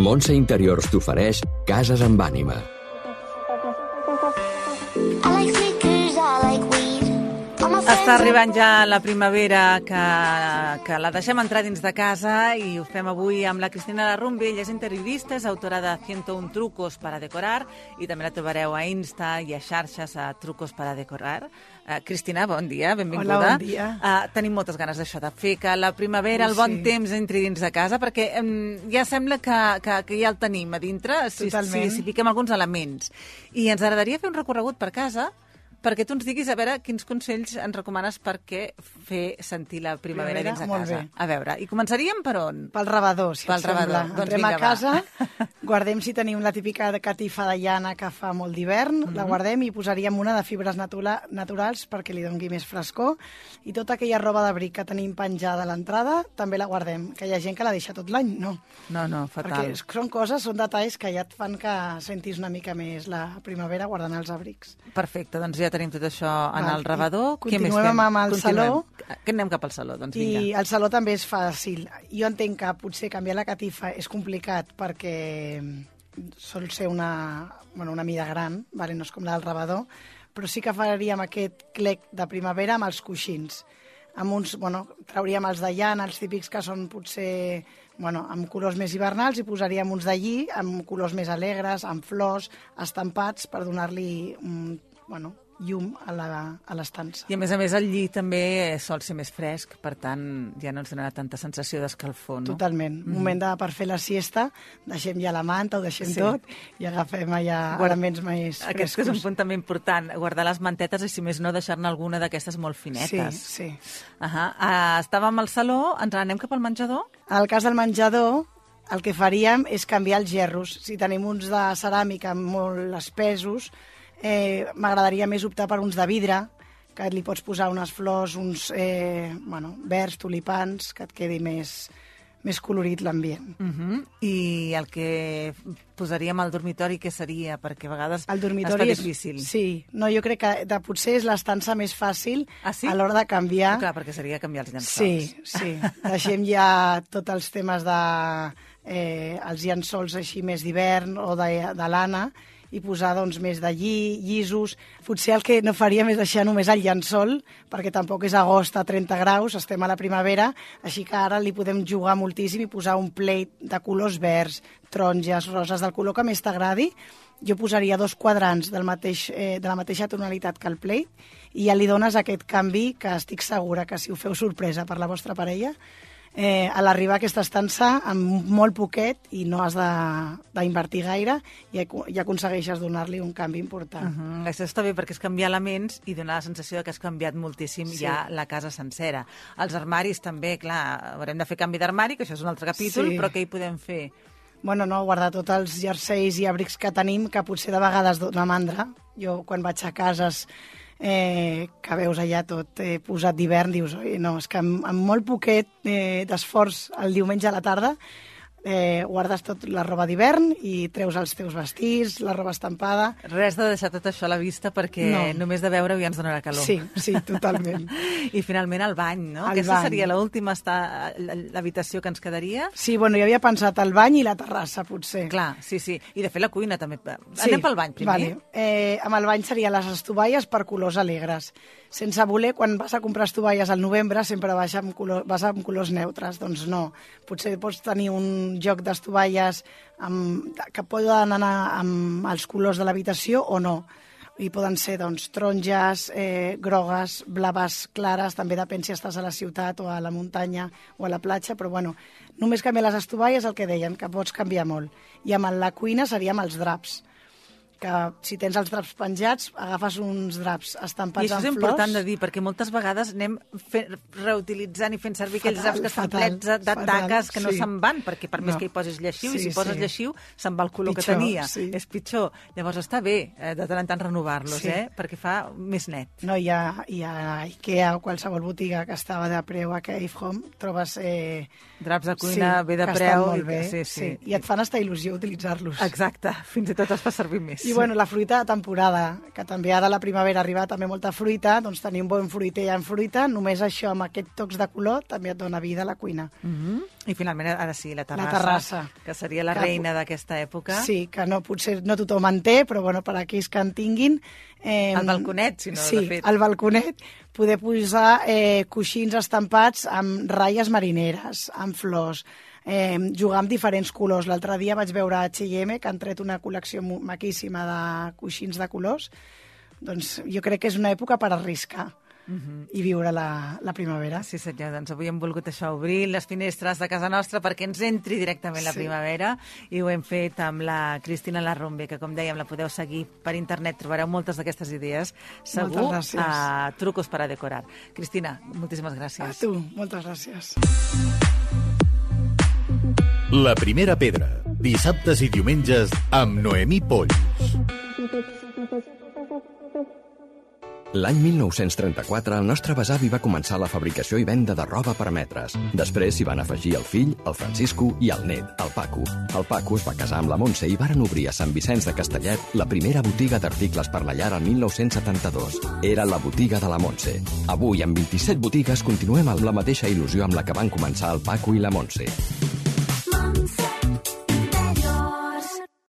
Montse Interiors t'ofereix Cases amb ànima. Està arribant ja la primavera, que la deixem entrar dins de casa, i ho fem avui amb la Cristina Larrumbe. Ella és interiorista, és autora de 101 trucos para decorar, i també la trobareu a Insta i a xarxes a Trucos para decorar. Cristina, bon dia, benvinguda. Hola, bon dia. Tenim moltes ganes d'això, de fer que la primavera, el bon temps, entri dins de casa, perquè ja sembla que ja el tenim a dintre, si fiquem alguns elements. I ens agradaria fer un recorregut per casa, perquè tu ens diguis, a veure, quins consells ens recomanes perquè fer sentir la primavera dins de casa. A veure, i començaríem per on? Pel rebedor, si et sembla. Doncs entrem a casa, guardem si tenim la típica catifa de llana que fa molt d'hivern, la guardem i posaríem una de fibres naturals perquè li doni més frescor, i tota aquella roba d'abric que tenim penjada a l'entrada també la guardem, que hi ha gent que la deixa tot l'any, no? No, fatal. Perquè són detalls que ja et fan que sentis una mica més la primavera guardant els abrics. Perfecte, doncs ja tenim tot això en el rebedor. Continuem amb el saló. Que anem cap al saló, doncs vinga. I el saló també és fàcil. Jo entenc que potser canviar la catifa és complicat perquè sol ser una mida gran, no és com la del rebedor, però sí que faríem aquest clec de primavera amb els coixins. Trauríem els de llana, els típics que són potser amb colors més hivernals, i posaríem uns d'allí amb colors més alegres, amb flors, estampats, per donar-li llum a l'estança. I a més el lli també sol ser més fresc, per tant ja no ens donarà tanta sensació d'escalfor, no? Totalment. Moment per fer la siesta, deixem ja la manta, ho deixem tot i agafem ja elements més frescos. Aquest és un punt també important, guardar les mantetes i, si més no, deixar-ne alguna d'aquestes molt finetes. Sí. Estàvem al saló, ens anem cap al menjador? En el cas del menjador, el que faríem és canviar els gerros. Si tenim uns de ceràmica molt espesos, m'agradaria més optar per uns de vidre, que li pots posar unes flors, uns verds, tulipans, que et quedi més colorit l'ambient. I el que posaríem al dormitori, què seria? Perquè a vegades està difícil. Sí, jo crec que potser és l'estança més fàcil a l'hora de canviar. Clar, perquè seria canviar els llençols. Sí. Deixem ja tots els temes els llençols així més d'hivern o de lana, i posar més de llisos. Potser el que no faríem és deixar només el llençol, perquè tampoc és agost a 30 graus, estem a la primavera, així que ara li podem jugar moltíssim i posar un plate de colors verds, taronges, roses, del color que més t'agradi. Jo posaria 2 quadrants de la mateixa tonalitat que el plate, i ja li dones aquest canvi que estic segura que, si ho feu sorpresa per la vostra parella, a l'arribar a aquesta estança, amb molt poquet, i no has d'invertir gaire, i aconsegueixes donar-li un canvi important. Això està bé, perquè és canviar elements i donar la sensació que has canviat moltíssim ja la casa sencera. Els armaris també, clar, haurem de fer canvi d'armari, que això és un altre capítol, però què hi podem fer? Guardar tots els jerseis i abrics que tenim, que potser de vegades dona mandra. Jo, quan vaig a cases que veus allà tot posat d'hivern, dius, no, és que amb molt poquet d'esforç el diumenge a la tarda guardes tot la roba d'hivern i treus els teus vestits, la roba estampada. Res de deixar tot això a la vista, perquè només de veure-ho ja ens donarà calor. Sí, totalment. I finalment el bany, no? Aquesta seria l'última l'habitació que ens quedaria? Sí, jo havia pensat el bany i la terrassa, potser. Clar, sí. I de fet la cuina també. Anem pel bany primer? Amb el bany serien les estovalles per colors alegres. Sense voler, quan vas a comprar estovalles al novembre, sempre vas amb colors neutres. Doncs no. Potser pots tenir un joc d'estovalles que poden anar amb els colors de l'habitació o no. I poden ser taronges, grogues, blaves clares, també depèn si estàs a la ciutat o a la muntanya o a la platja, però només canviar les estovalles, el que deien, que pots canviar molt. I amb la cuina seria amb els draps, que si tens els draps penjats, agafes uns draps estampats en flors. I això és important de dir, perquè moltes vegades anem reutilitzant i fent servir aquells draps que estan plets de taques que no se'n van, perquè per més que hi posis lleixiu, i si poses lleixiu, se'n va el color que tenia. És pitjor. Llavors està bé de tant en tant renovar-los, perquè fa més net. No, hi ha IKEA o qualsevol botiga que estava de preu a Cave Home, trobes draps de cuina bé de preu. Sí. I et fan estar il·lusió utilitzar-los. Exacte, fins i tot es fa servir més. I bueno, la fruita de temporada, que també ara a la primavera arriba també molta fruita, doncs tenir un bon fruiter en fruita, només això amb aquests tocs de color també et dona vida a la cuina. I finalment, ara sí, la terrassa. La terrassa. Que seria la reina d'aquesta època. Sí, que potser no tothom en té, però bueno, per aquells que en tinguin... El balconet, si no, sí, de fet. Sí, el balconet, poder posar coixins estampats amb ratlles marineres, amb flors, jugar amb diferents colors. L'altre dia vaig veure a H&M, que han tret una col·lecció maquíssima de coixins de colors. Doncs jo crec que és una època per arriscar i viure la primavera. Sí, senyor, doncs avui hem volgut això, obrir les finestres de casa nostra perquè ens entri directament la primavera, i ho hem fet amb la Cristina Larrombe, que com dèiem la podeu seguir per internet, trobareu moltes d'aquestes idees, segur, a trucos para decorar. Cristina, moltíssimes gràcies. A tu, moltes gràcies. La primera pedra, dissabtes i diumenges amb Noemí Polls. L'any 1934, el nostre besavi va començar la fabricació i venda de roba per metres. Després s'hi van afegir el fill, el Francisco, i el net, el Paco. El Paco es va casar amb la Montse i varen obrir a Sant Vicenç de Castellet la primera botiga d'articles per la llar el 1972. Era la botiga de la Montse. Avui, amb 27 botigues, continuem amb la mateixa il·lusió amb la que van començar el Paco i la Montse.